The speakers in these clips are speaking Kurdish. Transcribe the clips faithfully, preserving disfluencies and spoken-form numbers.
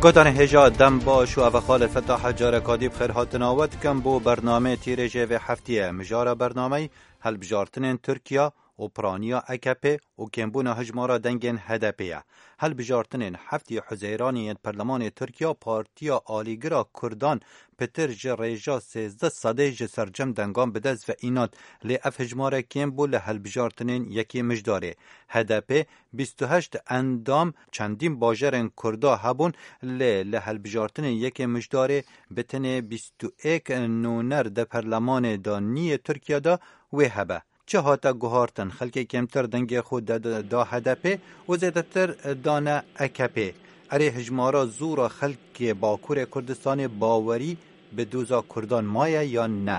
Guhdarên hêja, dem baş û ev e Xalid Fetah, careka dî bi xêr hatina we dikim bo bernameyê tîrêjê vê heftiyê. Mijara bernameyî hilbijartinên Tirkiye û piraniya A K P û kêmbûna hijmara dengên H D P ye. Hilbijartinên heftê Huzeyranê yên Perlemanê Tirkiye, Partiya Alîgira Kurdan pitir ji rêja sêzdeh sedê ji sercem dengan bi dest ve înand, lê ev hijmare kêm bû li hilbijartinên yekê Mijdarê. H D P bîst û heşt endam çendîn bajarên Kurda hebûn, lê li hilbijartinên yekê Mijdarê bi tenê bîst û êk nûner di perlemanê de nî yê Tirkiye de wê hebe. Çi hate guhartin, xelkê kêmtir dengê xwe de, de, da H D P û zêdetir dane A K P. Erê, hijmara zû re xelkê Bakurê Kurdistanê bawerî bi doza Kurdan maye yan ne?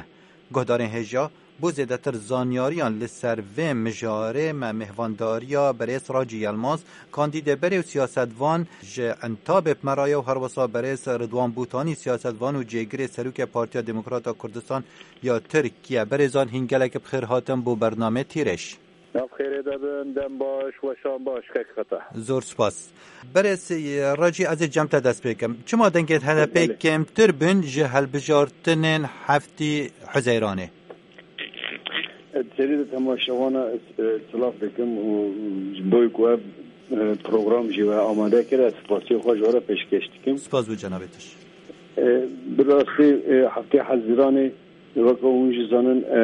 Guhdarên hêja, bo zêdetir zanyariyan li ser vê mijarê me mêhvandariya berêz Racî Yilmaz, kandîdê berê û siyasetvan ji Entabê bi me re ye û herwesa berêz Ridwan Bûtanî, siyasetvan û cêgirê serokê Partiya Demokrata Kurdistan ya Tirkiye. Berêzan, hîn gelek bi xêr hatin bo bernamê Tîrêj. Nav xêrê de bin, dem baş, weşan baş, kek Fetah. Zor spas. Berêz Racî, ez ê cem te dest pê kim. Çima dengên H D P Belê. kêmtir bin ji hilbijartinên heftê Huzeyranê? Serî de temaşevana ez, e, silav dikim û ji bo ku ev, e, program jî we amade kir, ez spasiya xwe ji we re pêşkêş dikim. Spas bo cenabê te jî. E, bi rastî, e, heftê Hezîranê, weke hûn jî zanin, e,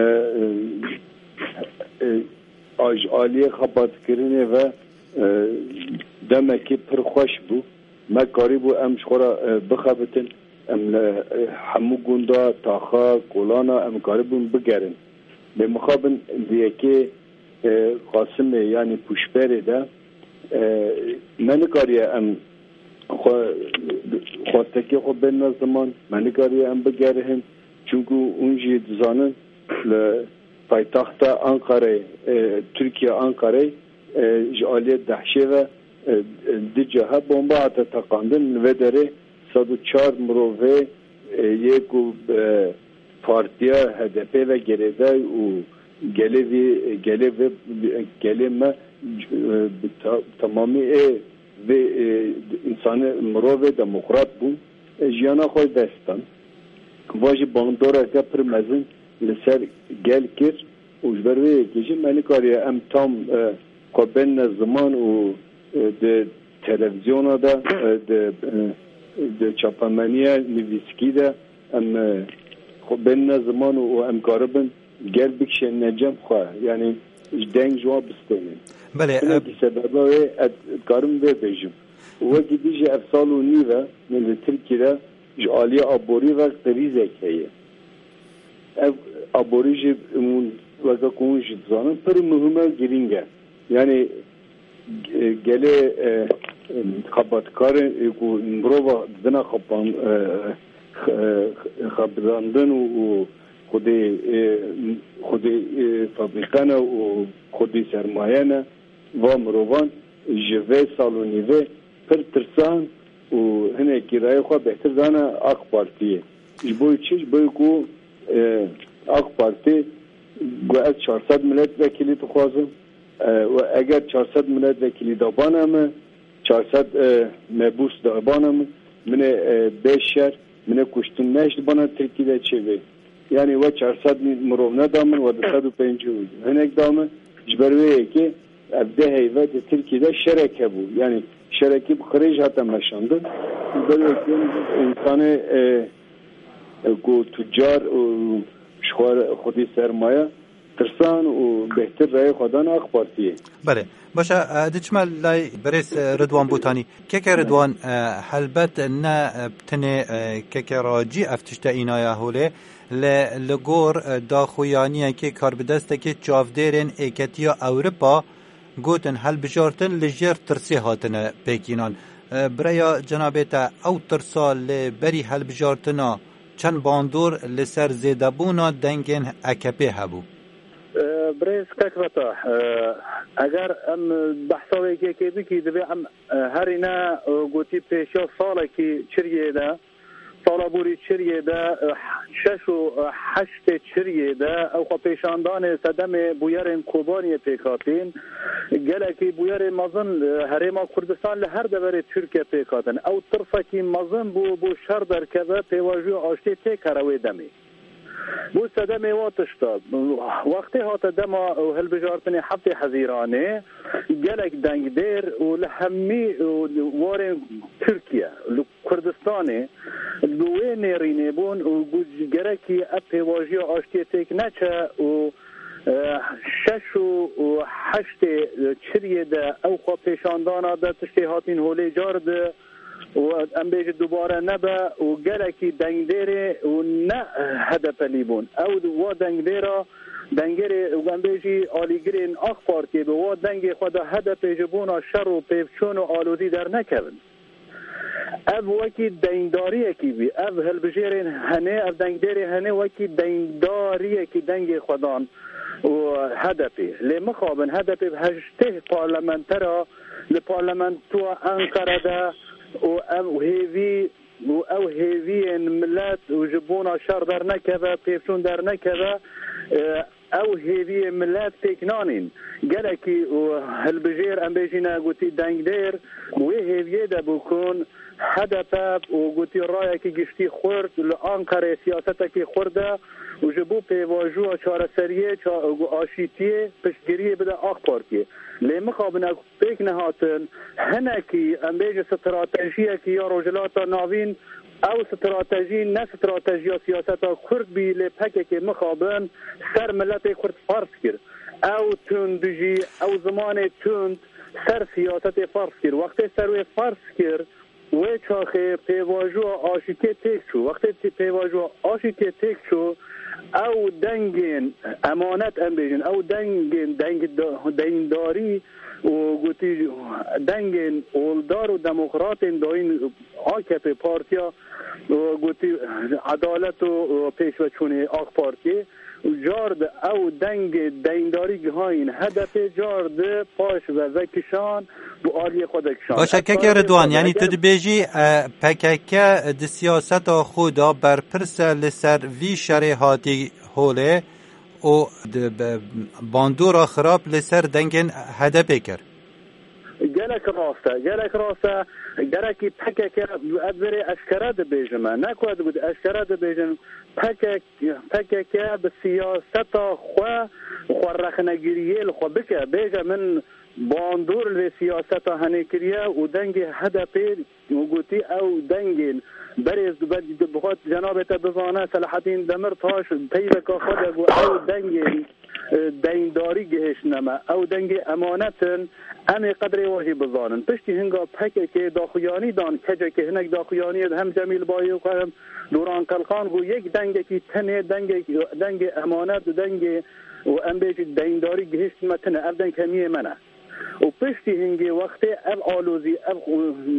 e, e, a ji aliyê xebatkirinê ve, e, demekî pir xweş bû. Me karîbû em ji xwe re, e, bixebitin, em li, e, hemû gunda, taxa, kolana em karibûn bigerin. Lê mixabin di yekê, e, Qasimê, yanî pûşberê de, e, me nikariye em xwe, xwestekê xwe bênine ziman, me nikariye em bigerihin. Çunku hûn jî dizanin, li paytexta Ankarayê, e, Tirkiye Ankarayê, e, ji aliyê DAIŞê ve, e, e, du cahe bomba hate teqandin. Li vê derê sed û çar mirovê, e, yê ku, e, partiya H D P ve girêdayî û gelê vî, gelê vê, gelê me, e, bi ta-, temamî ê vê, e, însanê, mirovê demokrat bû, e, jiyana xwe ji dest dan. Va jî bandoreke pir mezin li ser gel kir û ji ber vê yekê jî me nikariye em tam, e, xwe bênine ziman û, e, di televîzyona de, e, di, e, di çapemeniya nivîskî de em, e, xwe bênine ziman û, û em karibin gel bikişênine cem xwe, yanî ji deng ji wan bistênin. Belê, Hinekî e, sebeba wê ez dikarim vê bêjim. Û wekî dî jî ev sal û nîv e, li Tirkiyê de ji aliyê aborî ve krîzek heye. Ev aborî jî hûn, weke ku hûn jî dizanin, pir muhim e, girîng e. Yanî, e, gelê, e, xebatkarên, e, ku mirova didine xepan-, e, xe-, e, xebitandin û, û xwedî, e, xwedî, e, fabrîke ne û xwedî sermaye ne, va mirovan ji vê sal û nîvê pir tirsan û hinekî rayê xwe bêhtir dane AK Partiyê. Ji bo çi? Ji bo ku, e, AK Parti got, ez çar sed milletvekilî dixwazim. E, û eger çar sed milletvekilî dabane min, çar sed, e, mebûs dabane min, min ê, e, bê şer, min ê kuştin, ne ji bana Tirkî de çêbê. Yanî we çar sed mirov neda min, we du sed û pêncî û hinek da min. Ji ber wê yekê ev deh heyve di Tirkiyê de şerek hebû. Yanî şerekî bi qirêj hate meşandin. Ji ber wê yekê însanê, e, e, ku tucar û ji xwe re xwedî sermaye tirsan û bêhtir reyê xwe dan AK Partiyê. Belê. Baş e, e, diçime lay birêz, e, Ridwan Bûtanî. Keke Ridwan, e, helbet ne, e, tenê, e, keke Racî ev tişte înaya holê, lê li gor, e, daxuyaniyekê karbidestekê çavdêrên Êketiya Ewropa gotin hilbijartin li jêr tirsê hatine pêkînan. E, bi raya cenabê te ew tirsa li berî hilbijartina çend bandor li ser zêdebûna dengên A K P hebû? E, birêz Kek Fetah, e, eger em behsa wê yekê bikî, divê em, e, herîne, e, gotî pêşiya salekî çiriyê de Sala borî çiriyê de, e, şeş û heştê çiriyê de ew xwepêşandanê sedemê bûyerên Kobaniyê pêk hatîn. Gelekî bûyerê mezin, e, Herêma Kurdistan li her deverê Tirkiye pêk hatin. Ew tirsekî mezin bû, bû şer derkeve, pêvajoya aştiyê têk here wê demê. Bû sedemê wa tişta. Wextê hate dema û hilbijartinê heftê Hezîranê, gelek dengdêr û li hemî û warên Tirkiye, li Kurdistanê, li wê nêrînê bûn û got, gerekî ev pêvajoya aştiyê têk neçe û, e, şeş û heştê çiriyê de ew xwepêşandana de tiştê hatîn holê car di û em bêjin dubare nebe û gelekî dengdêrê û ne H D P'lî bûn. Ew wa dengdêra, dengêrê û em bêjî alîgirên AK Partiyê bi wa dengê xwe de H D P ji bona şer û pêvçûn û alozî dernekevin. Ev wekî deyndariyekî bî. Ev hilbijêrên henê, ev dengdêrê henê wekî deyndariyekî dengê xwe dan û H D P. Lê mixabin H D P bi heştê parlamentera li parlamentoya Enqere de û ev hêvî û ew hêviyên milet û ji bona şer dernekeve, pêvçûn dernekeve, e, ew hêviyê milet pêk nanîn. Gelekî û hilbijêr, em bêjîne gotî dengdêr, wê hêviyê de bû ku H D P û gotî rayekî giştî xurt li Anqerê siyasetekî xurt de û ji bo pêvajoya çareseriyê, ça-, aşîtiyê piştgiriyê bide AK Partiyê. Lê mixabin ew pêk nehatin, hinekî, em bêjin, stratejiyekî ya Rojhilata Navîn, ew stratejî ne stratejiya siyaseta Kurd bî, lê P K K mixabin ser miletê Kurd ferz kir. Ew tundijî, ew zimanê tund ser siyasetê ferz kir. Wextê ser wê ferz kir, wê çaxê pêvajoya aşîtiyê têk çû. Wextê tê-, pêvajoya aşîtiyê têk çû, ew dengên emanet, em bêjin, ew dengên deng-, deyndarî û gotî dengên oldar û demokratên dayîn A K P partiya û gotî edalet û pêşveçûnê AK Partiyê û car di ew dengê deyndarî gihayîn H D P, car di paş ve vekişan, bi aliyê xwe de kişand. Baş e, Ev keke tarîxê Ridwan, xwe de yanî tu eger dibêjî, e, P K K di siyaseta xwe de berpirs e li ser vî şerê hatî holê û di be-, bandora xirab li ser dengên H D P kir. Gelek rast e, gelek rast e. Gerekî P K K, ez berê eşkere dibêjim e. Ne ku ez got eşkere dibêjim. P K K, P K K bi siyaseta xwe, xwe rexnegiriyê li xwe bike. Bêje min bandor li vê siyaseta henê kiriye û dengê H D P û gotî ew dengên berêz di ber-, di bi xwe cenabê te bizane, Selahattin Demirtaş peyveka xwe de got ew dengên, e, deyndarî gihiştine me. Ew dengê emanet in, em ê qedrê we jî bizanin. Piştî hinga P K K daxuyanî dan, kecekê hinek daxuyaniyê hem Cemîl Bayok hem Duran Qelqan got yek dengekî tenê, dengek-, dengê emanet û dengê û em bêjî deyndarî gihiştine me tine. Ev deng hemiyê me ne. Û piştî hingê wextê ev alozî, ev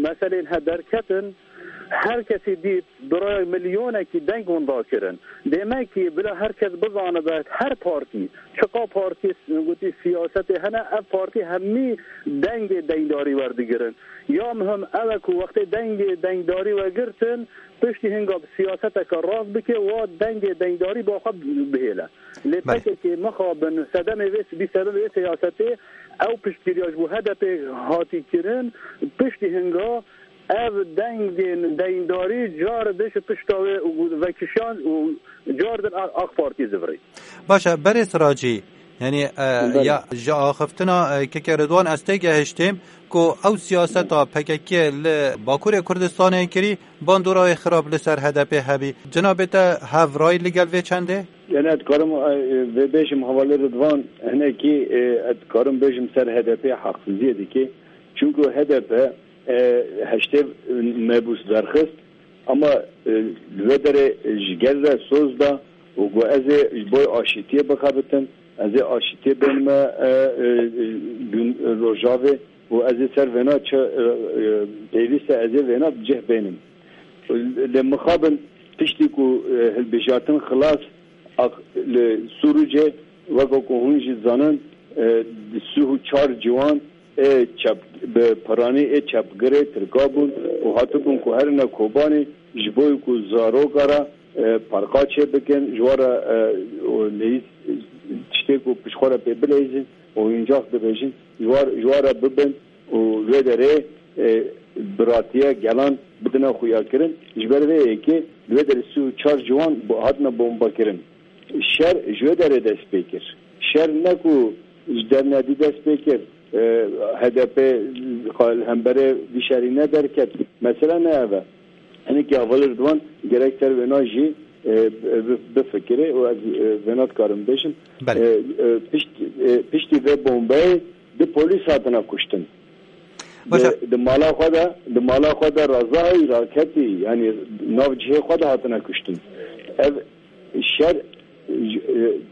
meselên he derketin, her kesî dît bi raya milyonekî deng winda kirin. Demekî bila her kes bizanibe, her partî, çiqa partî gotî siyasetê hene, ev partî hemî dengê deyndarî werdigirin. Ya muhim ew e ku wextê dengê deyndarî wegirtin, piştî hinga bi siyaseteke rast bike, wa dengê deyndarî ba xwe bihêle. Lê Belê. P K K mixabin sedemê vê, bî sedemê vê siyasetê, ew piştgiriya ji bo H D P hatî kirin, piştî hinga ev dengên deyndarî car di ji pişta wê û vekişan û car din A-, AK Partî zivirî. Baş e, berê Siracî, yanî, e, Belê. ya ji axiftina, e, Keke Ridwan ez têgehiştêm ku ew siyaseta P K K li Bakurê Kurdistanê kirî, bandora wê xirab li ser H D P hebî. Cinabê te hevray li gel vê çendê? Yanî ez dikarim, e, vê bêjim hevalê Ridvan, hinekî, e, ez dikarim bêjim ser H D P heqsiziyê dike. Çunku H D P, e, heştê mebûs derxist, ama, e, li wê derê ji gel re soz da û got ez ê ji bo aşîtiyê bixebitim, ez ê aşîtiyê bênime, e, e, e, Rojavê û ez ê ser vêna çi, e, e, pêwîst e ez ê vêna bi cih bênim. Lê mixabin piştî ku, e, hilbijartin xilas, ak-, li Sûrûcê weke ku hûn jî zanin, e, di sih û çar ciwan ê çep-, bi piranî ê çepgirê Tirka bûn û hatibûn ku herine Kobanê Ji bo ku zaroka re, e, parka çêbikin, ji wan re, e, û leyîz, tiştê ku pişt xwe re pê bileyzin, oyuncak dibêjin, ji wan, ji wan re bibin û li wê derê, e, biratiye gelan bidine xuyakirin. Ji ber vê yekê li wê derê sî û çar ciwan bo-, hatine bombekirin. Şer ji wê derê dest pê kir. Şer ne ku ji dernedî dest pê kir, e, H D P li hemberê vî şerî ne derket. Mesele ne ev e. Hinekî hevalê Ridwan gerek ser wêna jî, e, bi-, bifikire û ez, e, vêna dikarim bêjim. Belê. E, e, pişt-, e, piştî vê bombeyê du polîs hatine kuştin. Baş e. Di, di mala xwe de, di mala xwe de rezayî raketî, yanî nav cihê xwe de hatine kuştin. Ev şer, e,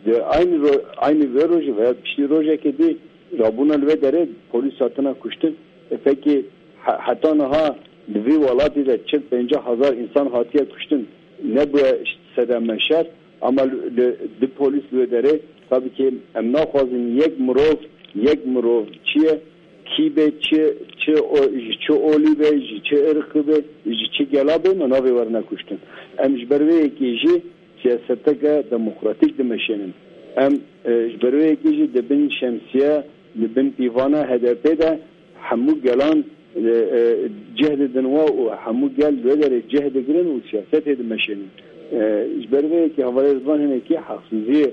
di aynî ro-, aynî vê rojê veya piştî rojekê dî rabûna li vê derê polîs hatine kuştin. E, pekî he-, heta niha di vî welatî de çil pêncî hezar însan hatiye kuştin. Nebûye sedeme şer, ama li, li, di polîs li wê derê, tabii ki em naxwazin yek mirov, yek mirov çi ye, kî be, çi, çi o, ji çi olî be, ji çi irqî be, ji çi gela be, me navê werine kuştin. Em ji ber vê yekê jî siyaseteke demokratîk dimeşênin. Em, e, ji ber vê yekê jî di bin şemsiye, di bin pîvana H D P de hemû gelan, e, e, cih didin we û hemû gel li wê derê cih digirin û siyasetê dimeşênin. E, ji ber vê yekê hevalê Ridwan hinekî heqsiziyê,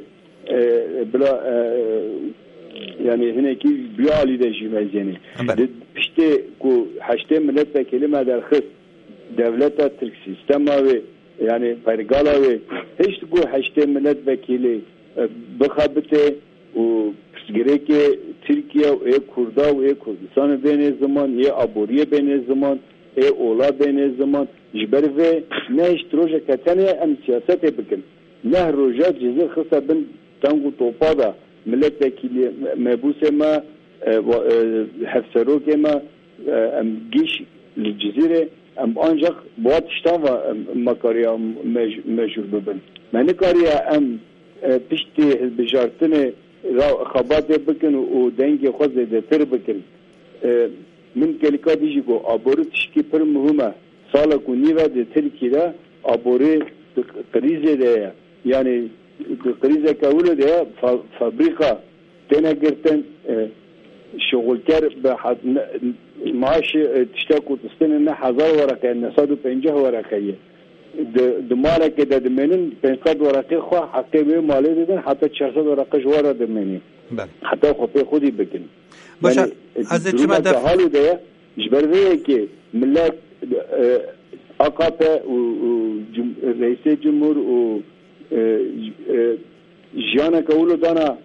e, bila, e, e, yanî hinekî bi alî de jî mezênê. Belê. Di piştê ku heştê milletvekîlî me derxist, dewleta Tirk, sîstema wê, yanî pergala wê, hişt ku heştê milletvekîlî, e, bixebitê û pirsgirêkê Tirkiye û ê Kurda û ê Kurdistanê bênê ziman, yê aboriyê bênê ziman, ê ola bênê ziman. Ji ber vê nehişt rojeke tenê em siyasetê bikin. Neh roja Cizîr xiste bin teng û topa de milletvekîlê, mebûsê me, e, wa-, e, hevserokê me, e, em gîş li Cizîrê, em ancak bi wa tiştan ve, em, me kariya mec-, mecûr bibin. Me nikariya em, e, piştî hilbijartinê ra xebatê bikin û dengê xwe zêdetir bikin. E, min gelika dî jî got, aborî tişkî pir muhim e. Salek û nîv e di Tirkî de aborî di krîzê de ye. Yanî di krîzeke wilo de ye, fa-, fabrîka têne girtin, e, şixulker bi hat-, ne, maaşê, e, tiştek û tistêne ne hezar wereqe, ne sed û pêncî wereqe ye. Di, di malekê de dimênin, pênc sed wereqê xwe heqê wê malê didin, heta çar sed wereqe ji we re dimênî. Belê. Heta xwe pê xwedî bikin. Baş e, yanî, e, ez ê çima durumeke def- halê de ye, ji ber vê yekê millet, e, A K P û, û cum-, reîsê cumhur û, e, e, jiyaneke wilo dana,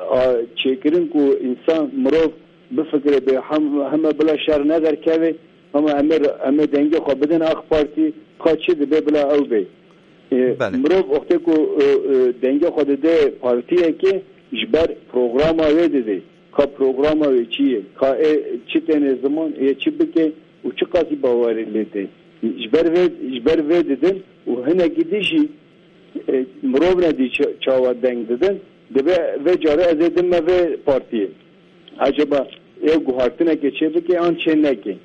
a, çêkirin ku însan, mirov bifikire, bê hem, heme bila şer nederkeve, ama em ê, em ê dengê xwe bidin A K Partî, ka çi dibe bila ew bê. E, Belê. Mirov wextê ku, e, e, dengê xwe dide partiyekê, ji ber programa wê dide. Ka programa wê çi ye? Ka ê çi têne ziman, ê çi bike û çi qasî bawerî lê tê? Ji ber vê, ji ber vê didin û hinekî dî jî, e, mirov nedî ça-, çawa deng didin, dibe vê carê ez ê dime vê partiyê. Acaba ê guhartinekê çê bike an çê neke?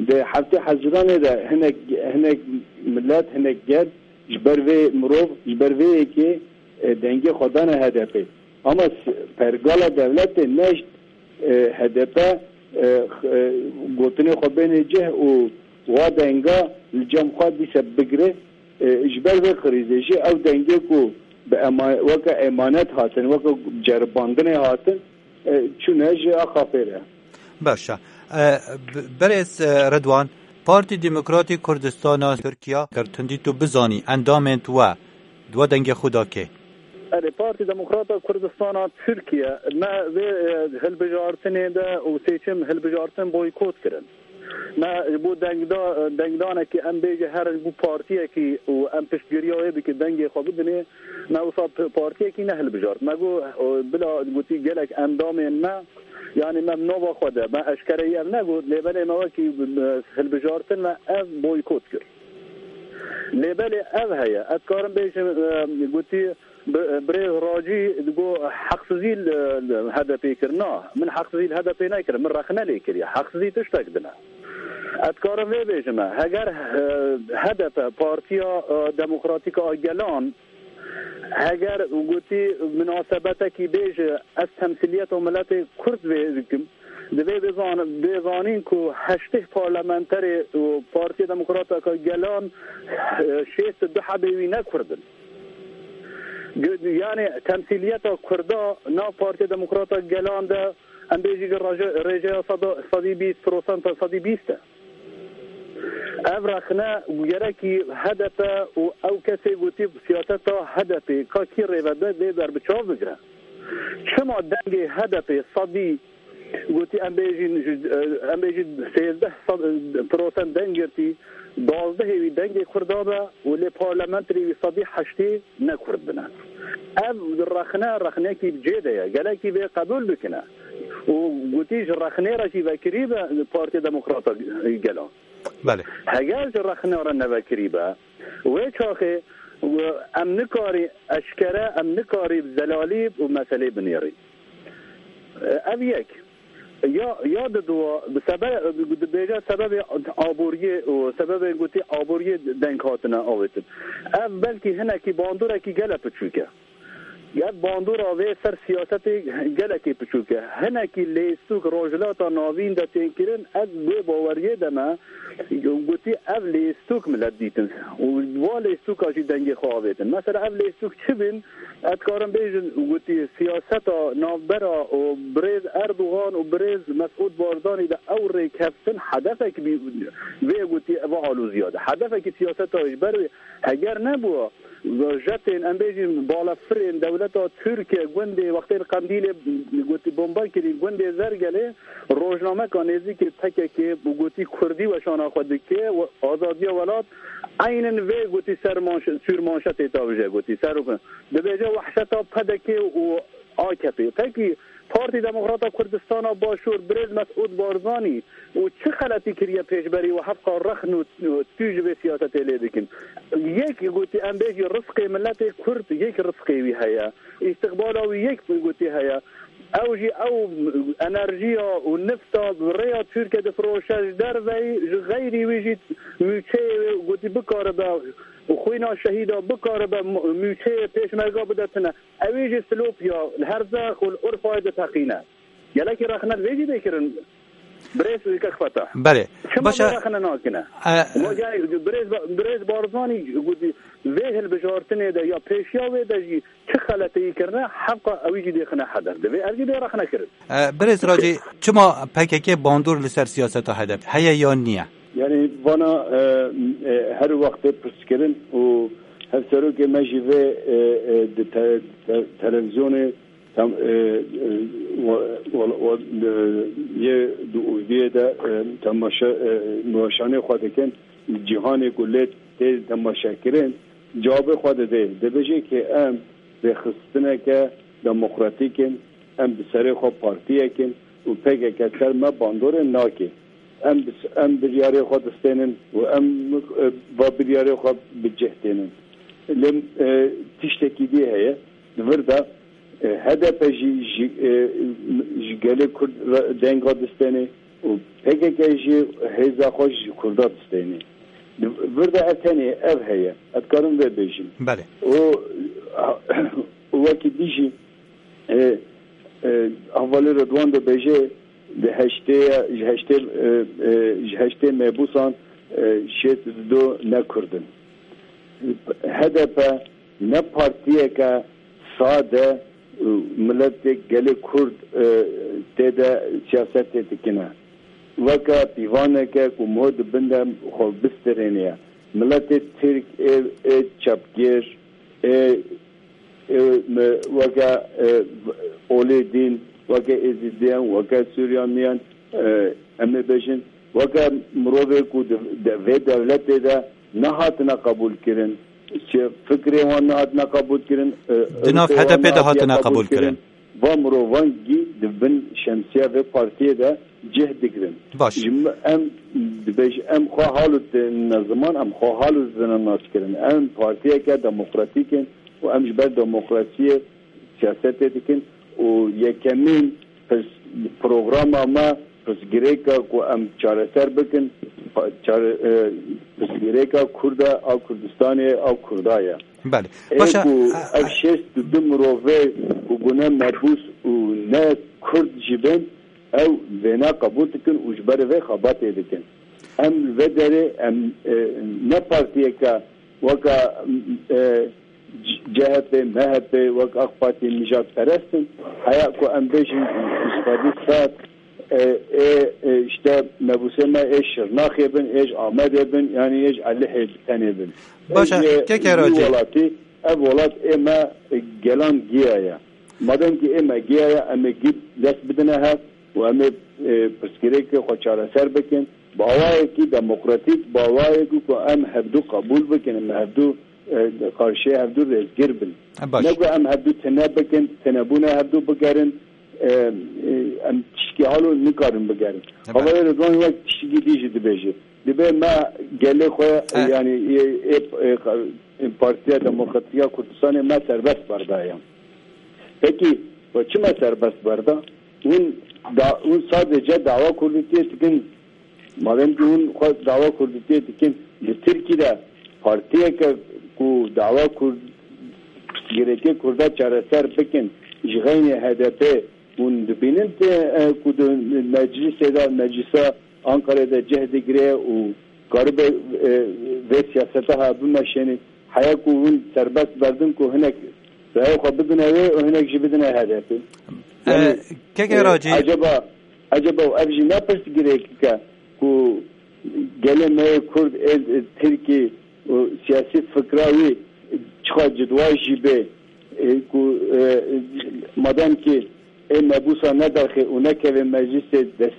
Di heftê Hezîranê de hinek, hinek milet, hinek gel ji ber vê mirov, ji ber vê yekê, e, dengê xwe dane H D P. Ama s-, pergala dewletê neşt, e, H D P, e, x-, e, gotinê xwe bêne cih û wa denga li cem xwe dîse bigire. E, ji ber vê krîzê jî ew dengê ku bi ema-, weke emanet hatin, weke ceribandinê hatin, e, çûne ji A K P re. Baş e. E, b-, berêz, e, Ridwan, Partî Demokratî Kurdistana Tirkiye, ger tundî tu bizanî, endamên tu we, di we dengê xwe da kê? Erê, Partî Demokrata Kurdistana Tirkiye, me vê, e, hilbijartinê de û seçim hilbijartin boykot kirin. Me ji bo dengda-, dengdanekî, em bêje herin ji bo partiyekî û em piştgiriya wê bikin, dengê xwe bidinê, me wisa p-, partiyekî nehilbijart. Me got, e, bila gotî gelek endamên me, yanî me nava xwe de, me eşkereyî ev negot, lê belê me wekî, e, hilbijartin me ev boykot kir. Lê belê ev heye, ez karim bêjim, e, gotî, Bi-, birêz Racî digo heqsizî li, li H D P kir. Na, min heqsizî li H D P nekir, min rexne lê kiriye. Heqsizî tiştek din e. Ez dikarim vê bêjime, heger, e, H D P, Partiya, e, Demokratîk a Gelan, heger gotî, munasebetekî bêje, ez temsîliyeta miletê Kurd vê dikim, divê bizan-, bê zanîn ku heştê parlamenterê û Partiya Demokratîk a Gelan, e, şêst û du hebê wî ne Kurd in. Gu-, yani temsîliyeta Kurda nav Partiya Demokrata Gelan de, em bêjî ki raje-, rêjeya sada-, sedî bîst prosent, sedî bîst e. Ev rexne gerekî H D P û ew kesê gotî siyaseta H D P ka kî rêvebir vê berbiçav bigire. Çima dengê H D P sedî gotî, em bêjin, em bêjin sêzdeh prosent deng girtî, duwazdehê wî dengê Kurda be û lê parlamenterê wî sedî heştê ne Kurd bine. Ev rexne, rexnekî bi cê de ye. Gelekî vê qebûl bikine. Û gotî ji rexnê re jî vekirî be Partiya Demokrata Gelan. Belê. Heger ji rexne re nevekirî be, wê çaxê em nikarî eşkere, em nikarî bi zelalî û meselê binêrî. Ev yek. Ya, ya di dua, bi sebe-, dibêje sebebê aboriyê û sebebê gotî aboriyê deng hatine avêtin. Ev belkî hinekî bandorekî gele piçûk e. Ev bandora vê ser siyasetê gelekî piçûk e. Hinekî lêstûk Rojhilata Navîn de tên kirin, ez wê baweriyê de me, gotî ev lêstûk milet dîtin. Û va lêstûka jî dengê xwe avêtin. Mesela ev lêstûk çi bin? Ez dikarim bêjin, gotî siyaseta navbera û birêz Erdogan û birêz Mesûd Barzanî de ew rêkeftin hedefek bî, vê gotî eva alûziya de. Hedefekî siyaseta ji ber wê heger nebû, jetên, em bêjin, balefirên dewleta Tirkiye gundê, wextê li Qendîlê gotî bomba kirî, gundê Zergelê, rojnameka nêzîkî P K K û gotî Kurdî weşana xwe dike, we-, azadiya welat, eynin vê gotî ser manş-, sûrmanşetê tabije gotî, ser dibêje wehşeta P D K û A K P. Pekî Partî Demokrata Kurdistana Başûr, birêz Mesûd Barzanî û çi xeletî kiriye pêşberî û hevqa rexn û, û tû ji vê siyasetê lê dikin? Yek gotî, em bêjî rizqê miletê Kurd, yek rizqê wî heye. Îstiqbala wî yek gotî heye. Ew jî ew enerjiya û nifta bi rêya Tirkiye difiroşe ji derveyî, ji xeyrî wî jî mûçeyê wê gotî bikaribe û xwîna şehîda bikaribe mûçeyê pêşmerga bide tune. Ew ê jî Silopya, li Herzex û li Urfayê diteqîne. Gelekî rexne vê jî dê kirin. Birêz Kek Fetah. Belê. Çima Baş e. Vê rexne nakine? E, Ma yani birêz, birêz Barzanî gotî, vê hilbijartinê de ya pêşiya wê de jî çi xeleteyî kirine, hevqa ewî jî dê xine hedef. Divê ev jî dê rexne kirin. E, birêz Racî, çima P K K bandor li ser siyaseta H D P heye yan niye? Yani vana, e, e, her wextê pirs kirin û hevserokê me jî vê, e, e, di te-, te-, televizyonê tam, e, e, wa-, wa-, wa-, e, yê di ûviyê de, e, temaşe, e, weşanê xwe dikin, cîhanê ku lê tê temaşe kirin, cawabê xwe didê. Dibêje ki em rêxistineke demokratîk in, em bi serê xwe partiyek in û P K K ser me bandorê nake. Em bi, em biryarê xwe distênin û em, e, va biryarê xwe bi cih tênin. Lê, e, tiştekî dî heye. Di vir de, e, H D P jî ji, e, ji gelê Kurd re denga distêne û P K K jî hêza xwe ji Kurda distêne. Di vir de ev tenê ev heye. Ez dikarim vê bêjim. Belê. Û, û wekî dî jî, e, e, hevalê Redwan dibêje, di heştê, ji heştê, e, e, ji heştê mebûsan, e, şêst û du ne Kurd in. H D P ne partiyeke sade û miletê gelê Kurd, e, tê de siyasetê dikine. Weke pîvaneke ku mo di bin de xwe bistirêniye. Miletê Tirk ê, ê çepgêr, ê, ê me, weke, e, olê dîn, weke Êzîdiyan, weke Sûriyaniyan, e, em ê bêjin, weke mirovê ku di, de, vê dewletê de nehatine qebûl kirin, çi fikrê wan nehatine qebûl kirin, e, Di nav ûrfê wan H D P de nehatine hatine qebûl qebûl kirin. kirin. Va mirovan gî di bin şemsiya vê partiyê de cih digirin. Baş. Ji me, em dibêj, em xwe hal û têne ziman, em xwe hal û zina nas kirin. Em partiyeke demokratîk in û em ji ber demokrasiyê siyasetê dikin û yekemîn pers-, programa me pirsgirêka ku em çareser bikin, pa-, çare-, e, pirsgirêka Kurda a Kurdistanê a Kurda ye. Belê. Ê Başa, ku e, ev e, şêst û du mirove ku bûne mebûs û ne Kurd jî bin, ew vêna qebûl dikin û ji ber vê xebatê dikin. Em li vê derê em, e, ne partiyeke weka, e, C-, CHP, MHP, wek AK Partî nijadperest in. Heya ku em bêjin îtîqadî sar, e, ê, e, işte mebûsê me ê Şirnaxê bin, ê ji Amedê bin, yanî ê ji Elihê tenê bin. Ê Başa, ji keke wî Racî. Welatî, ev welat ê me, e, gelan giya ye. Madem ki ê me giya ye, em ê gî dest bidine hev û em ê, e, pirsgirêkê xwe çareser bikin. Bi awayekî demokratîk, bi awayekî ku em hevdû qebûl bikin, em hevdû, e, qarşiyê hevdû rêzgir bin. E, baş. Ne ku em hevdû tine bikin, tinebûna hevdû bigerin, e, e, em tişkî halo nikarin bigerin. E, baş. Havayê Ridwan wek tişkî dî jî dibêje. Dibê me gelê xwe, e, E. yanî, e, e, e, Partiya Demokratîk ya Kurdistanê me serbest berdaye. Pekî, we çima serbest berda? Hûn da, hûn sadece dawa Kurdîtiyê dikin. Madem ki hûn xwe dawa Kurdîtiyê dikin, li Tirkî de partiyeke ku dawa Kurd, girêkê Kurda çareser bikin, ji xeynê H D P, hûn dibînin te, e, ku di meclîsê de, meclîsa Ankarê de cih digire û karibe, e, vê siyaseta ha bimeşêne. Heya ku hûn serbest berdin ku hinek raya xwe bidine wê û hinek jî bidine H D P. E, Yani, keke e, Racî. Acaba, acaba ev jî ne pirsgirêkek e ku gelê me yê Kurd ê, ê Tirkî û siyasî fikra wî çiqa cidwa jî bê, e, ku, e, madem ki ê mebûsa nedaxê û nekeve meclîsê dest,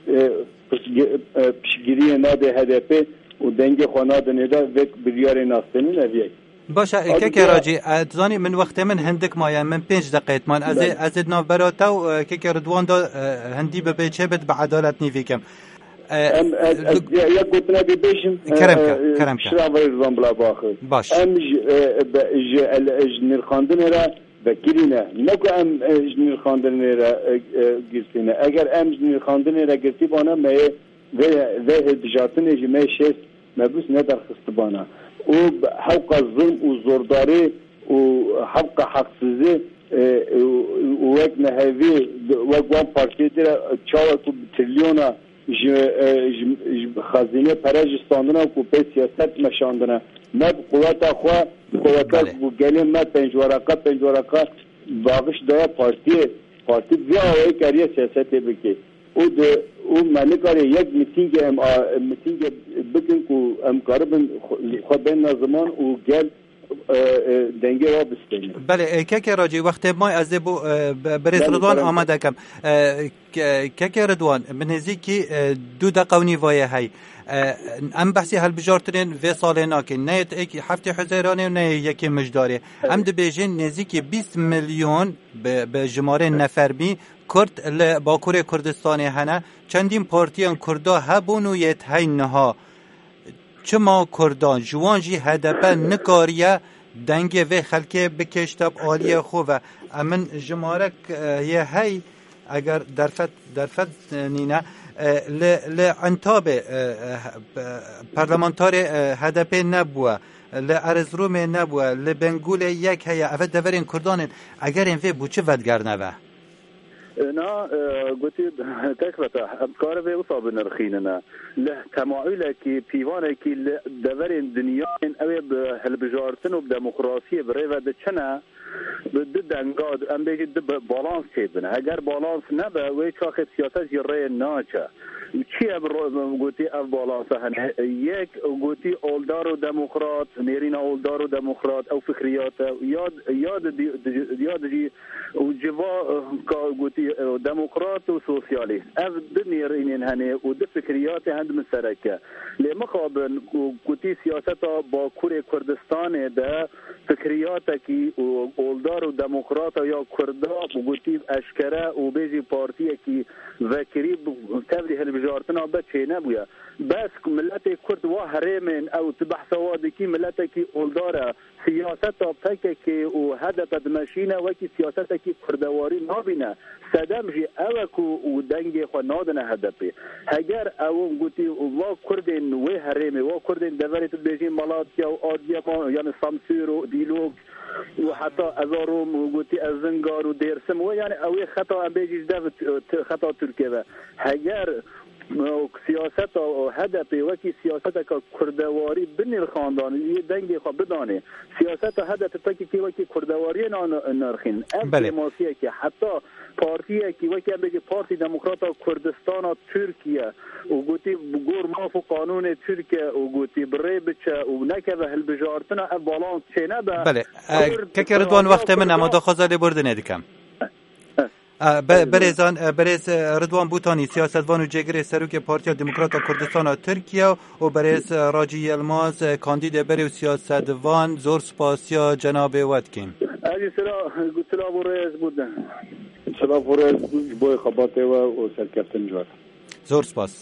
e, piştgi-, e, piştgiriyê nade H D P û dengê xwe nadinê de vê biryarê nastênin ev yek. Baş e, Abi keke ya Racî, e, tu zanî min wextê min hindik maye, min pênc deqeyt man. Ez ê, Belê. ez ê di navbera te û, e, keke Ridwan de, e, hindî bibe çê bit bi edalet nîvî kim. E, Em, ez, ez, li- ya, ya gotina bê bêjim, Kerem e, ke, e, kerem ke. Şira vay Ridwan bila baxi. Baş. Em ji, e, be, ji, el, ji nirxandinê re vekirî ne. Ne ku em, e, ji nirxandinê re, e, e, girtî ne. Eger em ji nirxandinê re girtî bana, me yê vê, vê hilbijartinê ji me şêst mebûs nedarxistibana. Û bi hewqa zulm û zordarî û hewqa heqsizî, e, û, û wek nehevî, wek wan partiyê dire çawa ku bi trilyona ji, e, ji, ji xezînê pere ji standina ku pê siyaset meşandine. Me bi quweta xwe, quweta Belê. ku gelê me pênc wereqa, pênc wereqa baxiş daya partiyê. Partî vî awayî kariye siyasetê bike. Û di, û me nikarê yek mitîngê em a, mitîngê bikin ku em karibin xwe, xwe bênine ziman û gel, e, e, dengê wa bistêne. Belê, e, keke Racî, wextê may ez ê bo, e, be-, berêz Belê, Ridwan belê. amade kem. E, ke-, keke Ridwan, bi nêzîkî, e, du deqa û nîvayê hey. E, em behsî hilbijartinên vê salê nakin. Ne yê heftê Huzeyranê û ne yê yekê Mijdarê. Em Evet. dibêjin nêzîkî bîst milyon bi, bi jimarên nefermî Kurd li Bakurê Kurdistanê hene. Çendîn partiyên Kurda hebûn û yê hey niha. Çima Kurdan, ji wan jî H D P nikariye dengê vê xelkê bikêşte bi aliyê xwe ve? Em min jimarek, e, yê hey, eger derfet, derfet, e, nîne, e, li, li Entabê, e, e, e, parlamentarê, e, H D P nebûye, li Erziromê nebûye, li Bengûlê yek heye. Ev deverên Kurdan in. Egerên vê bû çi vedigerne ve? Na, e, gotî, kek Fetah, em dikare vê wisa binirxînine. Li temaîlekî, pîvanekî li deverên dinyayên ew ê bi hilbijartin û bi demokrasiyê bi rê ve diçine, bi du denga, em bêjî du bi-, balans çêbine. Eger balans nebe, wê çaxê siyaset jî rê naçe. Çi ye bi ro-, gotî ev balansa hene? Yek, gotî oldar û demokrat, nêrîna oldar û demokrat, ew fikriyat e. Ya, ya di, di, di, ya dijî û civa, eh, ka gotî, eh, demokrat û sosyalîst. Ev du nêrînên hene û du fikriyatê hend misereke. Lê mixabin ku gotî siyaseta Bakurê Kurdistanê de fikriyatekî û oldar û demokrata ya Kurda gotî eşkere û bêjî partiyekî vekirî bi tevlî hilbijartina be çênebûye. Bes ku miletê Kurd wa herêmên ew tu behsa wa dikî, miletekî oldar e. Siyaseta P K K û H D P dimeşîne, wekî siyasetekî kurdewarî nabîne. Sedem jî ew e ku û dengê xwe nadine H D P. Heger ew gotî va Kurdên wê herêmê, va Kurdên deverê tu dibêjî Malatya û Adıyaman, yani Samsûr û Dîlok û heta Ezarom û gotî Erzingar û Dêrsim, wê yani ew ê xeta em bêjî ji dev t-, t-, xeta Tirkiye ve. Heger siyaseta H D P wekî siyaseteka kurdewarî binirxandan, yê dengê xwe bidanê. Siyaseta H D P P K K wekî kurdewariyê nan-, nirxîn. Ev Belê. Kêmasiyekî heta partiyekî wekî em bêjî Partî Demokrata Kurdistana Tirkiye û gotî bi gor maf û qanûnê Tirkiye û gotî bi rê biçe û nekeve hilbijartina ev balans çênebe. Belê. E, Kurd Keke Ridwan, radiya wextê min Kurdan ama daxwaza lêbordinê dikim. E, be-, Berêzan, e, berêz, e, Ridwan Bûtanî, siyasetvan û cêgirê serokê Partiya Demokrata Kurdistana Tirkiye û berêz, e, Racî Yilmaz, e, kandîdê berê û siyasetvan, zor spasiya cenabê we dikîm. Ez jî sila, silav û rêz bû de. Silav û rêz ji bo xebatê we û serkeftin ji we. Zor spas.